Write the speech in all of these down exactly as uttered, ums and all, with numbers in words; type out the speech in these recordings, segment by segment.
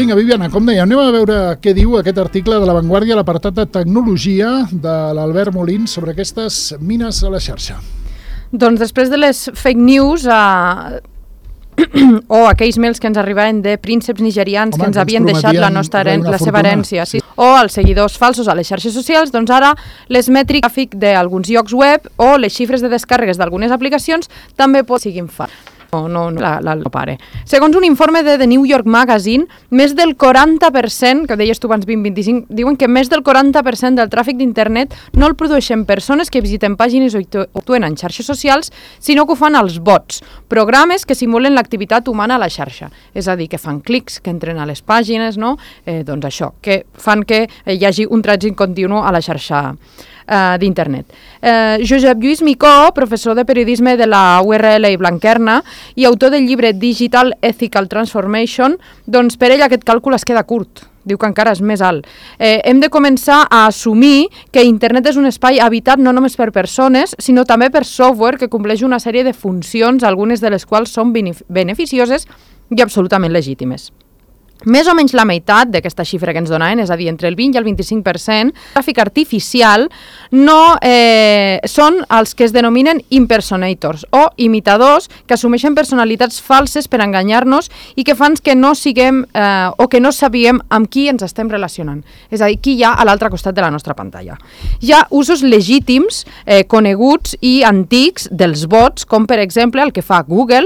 vinga, Viviana, com deia, anem a veure què diu aquest article de La Vanguardia a l'apartat de tecnologia de l'Albert Molins sobre aquestes mines a la xarxa. Doncs després de les fake news eh, o aquells mails que ens arribaven de prínceps nigerians Home, que ens havien deixat la, nostra herència, la seva herència, sí, o els seguidors falsos a les xarxes socials, doncs ara les mètriques d'alguns llocs web o les xifres de descàrregues d'algunes aplicacions també pot siguin falses. No, no, no, la, la, no pare. Segons un informe de The New York Magazine, més del quaranta per cent, que deies tu abans vint vint-i-cinc, diuen que més del quaranta per cent del tràfic d'internet no el produeixen persones que visiten pàgines o actuen en xarxes socials, sinó que ho fan els bots, programes que simulen l'activitat humana a la xarxa. És a dir, que fan clics, que entren a les pàgines, no? Eh, doncs això, que fan que hi hagi un trànsit continu a la xarxa Uh, d'internet. Uh, Josep Lluís Micó, professor de periodisme de la U R L i Blanquerna i autor del llibre Digital Ethical Transformation, doncs per ell aquest càlcul es queda curt. Diu que encara és més alt. Eh, hem de començar a assumir que internet és un espai habitat no només per persones, sinó també per software que compleix una sèrie de funcions, algunes de les quals són beneficioses i absolutament legítimes. Més o menys la meitat d'aquesta xifra que ens donaven, és a dir, entre el vint i el vint-i-cinc per cent, tràfic artificial no eh, són els que es denominen impersonators o imitadors que assumeixen personalitats falses per enganyar-nos i que fan que no siguem eh, o que no sabíem amb qui ens estem relacionant. És a dir, qui hi ha a l'altre costat de la nostra pantalla. Hi ha usos legítims, eh, coneguts i antics dels bots, com per exemple el que fa Google,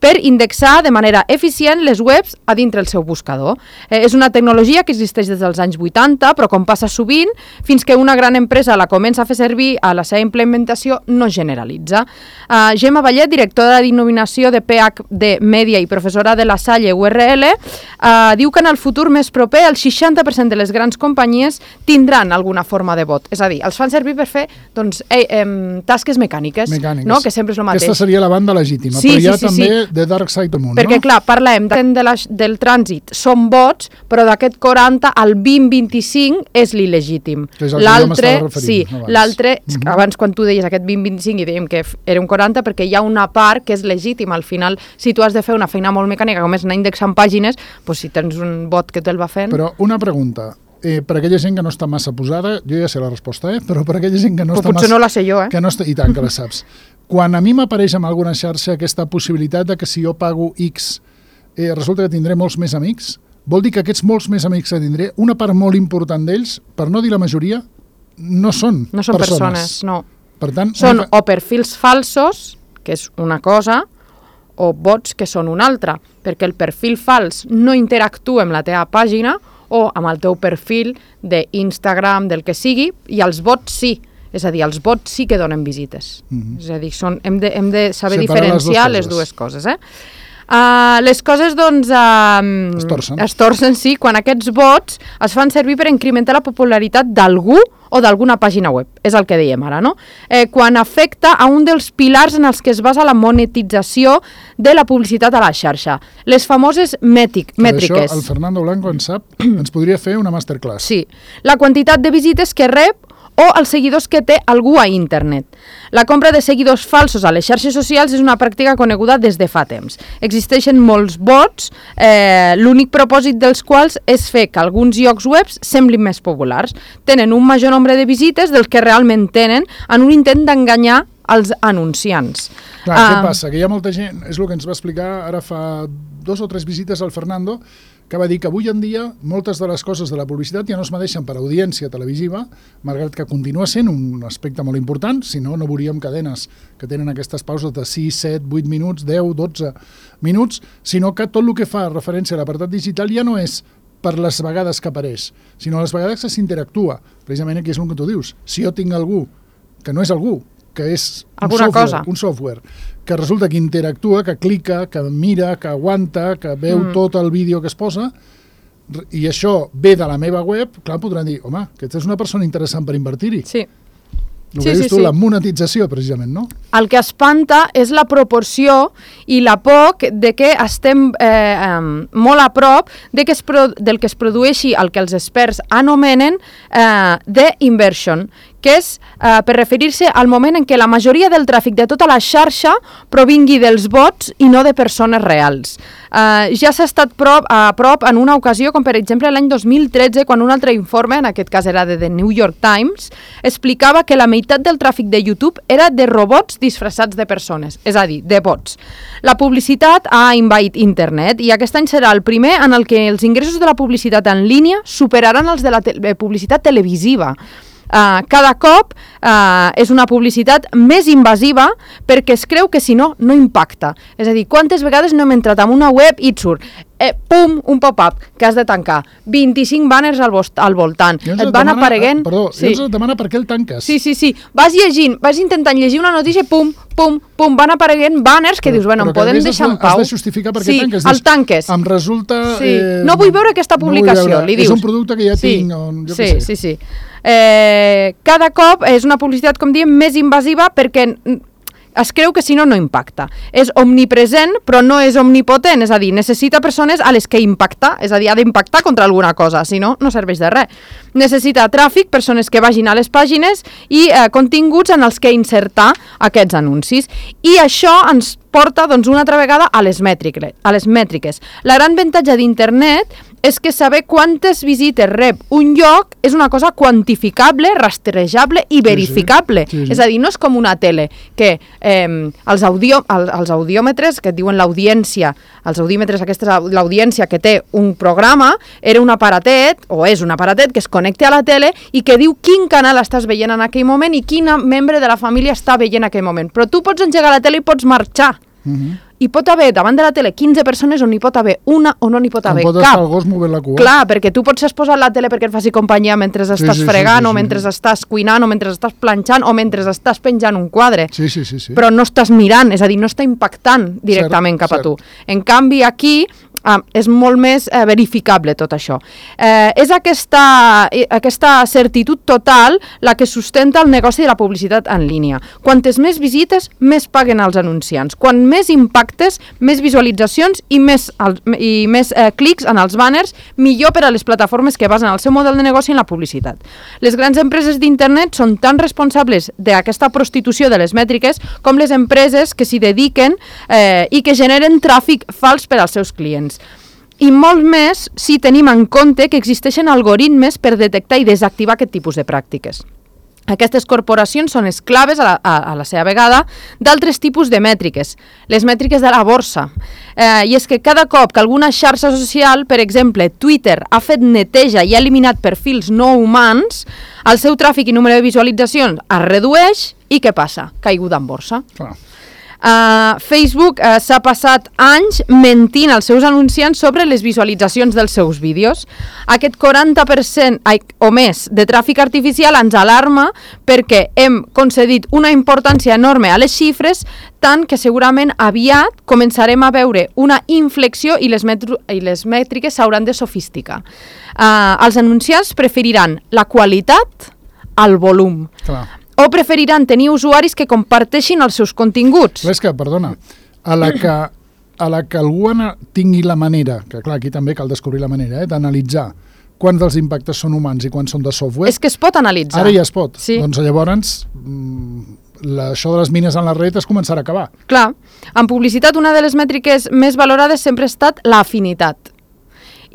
per indexar de manera eficient les webs a dintre el seu buscador. Eh, és una tecnologia que existeix des dels anys vuitanta, però com passa sovint, fins que una gran empresa la comença a fer servir, a la seva implementació no generalitza. Uh, Gemma Vallet, directora d'innovació de P H D Media i professora de la Salle U R L, uh, diu que en el futur més proper el seixanta per cent de les grans companyies tindran alguna forma de bot. És a dir, els fan servir per fer doncs, eh, eh, tasques mecàniques, mecàniques, no? Que sempre és el mateix. Aquesta seria la banda legítima, sí, però hi ha sí, sí, també... Sí. de Dark Side of the Moon, perquè no? clar, parlem de, de la, del trànsit són bots, però d'aquest quaranta al vint vint-i-cinc és l'il·legítim. L'altre, sí, l'altre, mm-hmm. abans quan tu deies aquest vint vint-i-cinc i dèiem que era un quaranta perquè hi ha una part que és legítima. Al final, si tu has de fer una feina molt mecànica com és anar indexant pàgines, doncs si tens un bot que te'l va fent... Però una pregunta, eh, per aquella gent que no està massa posada, jo ja sé la resposta, eh? Però per aquella gent que no però està potser massa... no la sé jo, eh? Que no està... I tant, que la saps. Quan a mi m'apareix en alguna xarxa aquesta possibilitat de que si jo pago X eh, resulta que tindré molts més amics, vol dir que aquests molts més amics que tindré, una part molt important d'ells, per no dir la majoria, no són, no són persones. persones, no. Per tant, són una... o perfils falsos, que és una cosa, o bots, que són una altra, perquè el perfil fals no interactua amb la teva pàgina o amb el teu perfil d'Instagram, del que sigui, i els bots sí. És a dir, els bots sí que donen visites. Mm-hmm. És a dir, són, hem, de, hem de saber separar diferenciar les, les dues coses. Eh? Uh, les coses, doncs... Uh, es torcen. Es torcen, sí, quan aquests bots es fan servir per incrementar la popularitat d'algú o d'alguna pàgina web. És el que dèiem ara, no? Eh, quan afecta a un dels pilars en els que es basa la monetització de la publicitat a la xarxa. Les famoses mètric, mètriques. Això el Fernando Blanco en sap, ens podria fer una masterclass. Sí. La quantitat de visites que rep o els seguidors que té algú a internet. La compra de seguidors falsos a les xarxes socials és una pràctica coneguda des de fa temps. Existeixen molts bots, eh, l'únic propòsit dels quals és fer que alguns llocs web semblin més populars. Tenen un major nombre de visites dels que realment tenen en un intent d'enganyar els anunciants. Clar, uh, què passa? Que hi ha molta gent, és el que ens va explicar ara fa dos o tres visites al Fernando, que va dir que avui en dia moltes de les coses de la publicitat ja no es medeixen per audiència televisiva, malgrat que continua sent un aspecte molt important, si no, no veuríem cadenes que tenen aquestes pauses de sis, set, vuit minuts, deu, dotze minuts, sinó que tot el que fa referència a l'apartat digital ja no és per les vegades que apareix, sinó les vegades que s'interactua. Precisament aquí és el que tu dius. Si jo tinc algú que no és algú, que és un Alguna software, cosa. un software que resulta que interactua, que clica, que mira, que aguanta, que veu mm. tot el vídeo que es posa, i això ve de la meva web, clar, podran dir, home, aquesta és una persona interessant per invertir-hi. Sí. El sí, que dius sí, tu, sí. la monetització, precisament, no? El que espanta és la proporció i la por de que estem eh, um, molt a prop de que es pro del que es produeixi el que els experts anomenen eh, de inversion, que és eh, per referir-se al moment en què la majoria del tràfic de tota la xarxa provingui dels bots i no de persones reals. Uh, ja s'ha estat prop, a prop en una ocasió, com per exemple l'any dos mil tretze, quan un altre informe, en aquest cas era de The New York Times, explicava que la meitat del tràfic de YouTube era de robots disfressats de persones, és a dir, de bots. La publicitat ha envaït internet i aquest any serà el primer en el que els ingressos de la publicitat en línia superaran els de la te publicitat televisiva. Uh, cada cop uh, és una publicitat més invasiva perquè es creu que si no, no impacta. És a dir, quantes vegades no hem entrat en una web i et surt eh, pum, un pop-up que has de tancar, vint-i-cinc banners al, al voltant, et, et van demana, apareguent... Eh, perdó, sí. I ens demana per què el tanques. Sí, sí, sí, vas llegint, vas intentant llegir una notícia, pum, pum, pum, van apareguent banners que però, dius, bueno, em podem deixar en pau. Has de justificar per què sí, tanques. Sí, el tanques. Em resulta... Sí. Eh, no vull veure aquesta publicació, no veure. li dius. És un producte que ja sí. tinc, on, jo sí, què sé. Sí, sí, sí. Eh, cada cop és una publicitat, com diem, més invasiva perquè es creu que si no, no impacta. És omnipresent, però no és omnipotent, és a dir, necessita persones a les que impacta, és a dir, ha d'impactar contra alguna cosa, si no, no serveix de res. Necessita tràfic, persones que vagin a les pàgines i eh, continguts en els que insertar aquests anuncis. I això ens porta doncs, una altra vegada a les mètriques. A les mètriques. La gran avantatge d'internet és que saber quantes visites rep un lloc és una cosa quantificable, rastrejable i verificable. Sí, sí. Sí, sí. És a dir, no és com una tele, que eh, els, audio, el, els audiòmetres, que et diuen l'audiència, els audímetres, aquesta és l'audiència que té un programa, era un aparatet, o és un aparatet, que es connecta a la tele i que diu quin canal estàs veient en aquell moment i quin membre de la família està veient en aquell moment. Però tu pots engegar la tele i pots marxar. Uh-huh. Hi pot haver davant de la tele quinze persones on hi pot haver una o no n'hi pot haver cap. Pot estar el gos movent la cua. Clar, perquè tu pots posar la tele perquè et faci companyia mentre estàs sí, sí, fregant sí, sí, o mentre sí. estàs cuinant o mentre estàs planxant o mentre estàs penjant un quadre. Sí, sí, sí, sí. Però no estàs mirant, és a dir, no està impactant directament cert, cap cert. a tu. En canvi, aquí ah, és molt més eh, verificable tot això. Eh, és aquesta, eh, aquesta certitud total la que sustenta el negoci de la publicitat en línia. Quantes més visites, més paguen els anunciants. Quan més impactes, més visualitzacions i més, el, i més eh, clics en els banners, millor per a les plataformes que basen el seu model de negoci en la publicitat. Les grans empreses d'internet són tan responsables d'aquesta prostitució de les mètriques com les empreses que s'hi dediquen eh, i que generen tràfic fals per als seus clients. I molt més si tenim en compte que existeixen algoritmes per detectar i desactivar aquest tipus de pràctiques. Aquestes corporacions són esclaves a la, a, a la seva vegada d'altres tipus de mètriques, les mètriques de la borsa. Eh, I és que cada cop que alguna xarxa social, per exemple Twitter, ha fet neteja i ha eliminat perfils no humans, el seu tràfic i número de visualitzacions es redueix i què passa? Caiguda en borsa. Clar. Uh, Facebook uh, s'ha passat anys mentint als seus anunciants sobre les visualitzacions dels seus vídeos. Aquest quaranta per cent ai, o més de tràfic artificial ens alarma perquè hem concedit una importància enorme a les xifres, tant que segurament aviat començarem a veure una inflexió i les, i les mètriques s'hauran de sofisticar. Uh, els anunciants preferiran la qualitat al volum. Clar. O preferiran tenir usuaris que comparteixin els seus continguts. És que, perdona, a la que, a la que algú tingui la manera, que clar, aquí també cal descobrir la manera, eh, d'analitzar quants dels impactes són humans i quants són de software... És que es pot analitzar. Ara ja es pot. Sí. Doncs llavors, la, això de les mines en la red es començarà a acabar. Clar, en publicitat una de les mètriques més valorades sempre ha estat l'afinitat.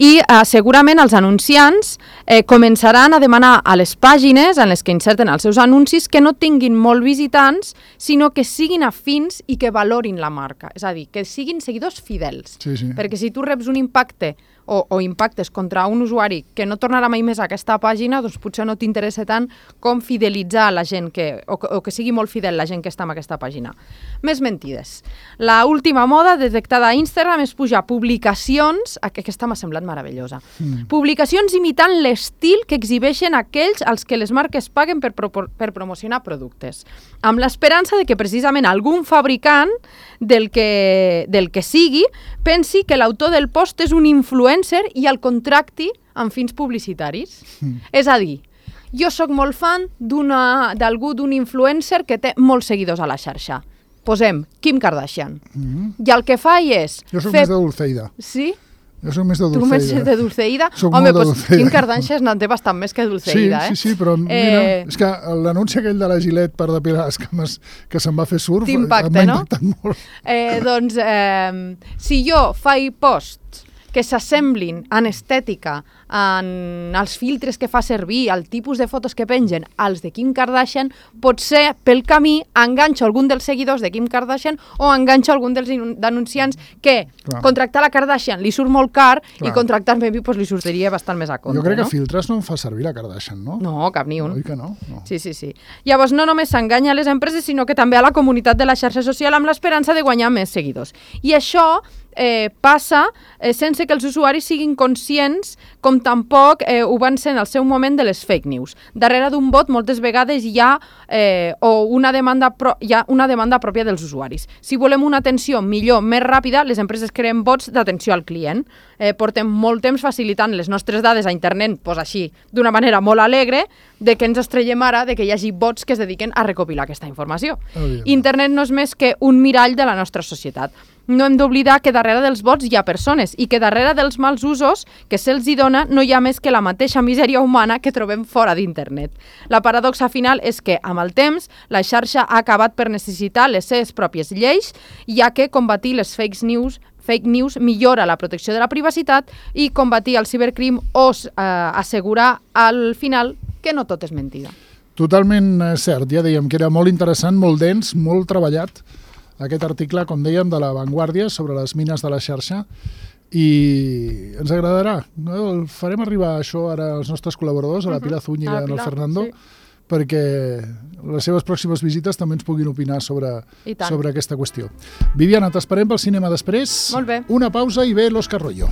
I eh, segurament els anunciants eh, començaran a demanar a les pàgines en les que inserten els seus anuncis que no tinguin molt visitants, sinó que siguin afins i que valorin la marca. És a dir, que siguin seguidors fidels. Sí, sí. Perquè si tu reps un impacte o, o impactes contra un usuari que no tornarà mai més a aquesta pàgina, doncs potser no t'interessa tant com fidelitzar la gent que, o, o que sigui molt fidel la gent que està en aquesta pàgina. Més mentides. La última moda detectada a Instagram és pujar publicacions, aquesta m'ha semblat meravellosa, mm. publicacions imitant l'estil que exhibeixen aquells als que les marques paguen per, pro per promocionar productes, amb l'esperança de que precisament algun fabricant del que, del que sigui pensi que l'autor del post és un influencer i el contracti amb fins publicitaris. Mm. És a dir, jo sóc molt fan d'algú, d'un influencer que té molts seguidors a la xarxa. Posem Kim Kardashian. Mm-hmm. I el que fa és... Jo soc fer... més de Dulceida. Sí? Jo soc més de Tu Dulceida. més de Dulceida? Soc Home, molt de doncs Dulceida. Kim Kardashian en té bastant més que Dulceida, Sí, eh? sí, sí, però mira, Eh, és que l'anunci aquell de la Gillette per depilar les cames que se'n va fer surf T'impacta, m'ha no? impactat molt. Eh, doncs, eh, si jo faig posts que s'assemblin en estètica, en els filtres que fa servir, el tipus de fotos que pengen, als de Kim Kardashian, potser pel camí enganxo algun dels seguidors de Kim Kardashian o enganxo algun dels denunciants que Clar. contractar la Kardashian li surt molt car Clar. i contractar-me a mi pues, li sortiria bastant més a compte. Jo crec que no? filtres no en fa servir la Kardashian, no? No, cap ni un. Oi que no? no. Sí, sí, sí. Llavors, no només s'enganya a les empreses, sinó que també a la comunitat de la xarxa social amb l'esperança de guanyar més seguidors. I això eh, passa eh, sense que els usuaris siguin conscients, com tampoc eh, ho van ser en el seu moment de les fake news. Darrere d'un bot moltes vegades hi ha, eh, o una demanda pro hi ha una demanda pròpia dels usuaris. Si volem una atenció millor, més ràpida, les empreses creen bots d'atenció al client. Eh, portem molt temps facilitant les nostres dades a internet, pues així, d'una manera molt alegre, de que ens estrellem ara de que hi hagi bots que es dediquen a recopilar aquesta informació. Evidentment. Internet no és més que un mirall de la nostra societat. No hem d'oblidar que darrere dels bots hi ha persones i que darrere dels mals usos que se'ls hi dona no hi ha més que la mateixa misèria humana que trobem fora d'internet. La paradoxa final és que, amb el temps, la xarxa ha acabat per necessitar les seves pròpies lleis, ja que combatir les fake news fake news millora la protecció de la privacitat i combatir el cibercrim o eh, assegurar al final que no tot és mentida. Totalment eh, cert, ja dèiem que era molt interessant, molt dens, molt treballat aquest article, com dèiem, de La Vanguardia sobre les mines de la xarxa, i ens agradarà. No? El farem arribar això ara als nostres col·laboradors, a la Pilar Zúñiga i al Fernando, sí. perquè les seves pròximes visites també ens puguin opinar sobre, sobre aquesta qüestió. Viviana, t'esperem pel cinema després. Molt bé. Una pausa i ve l'Òscar Royo.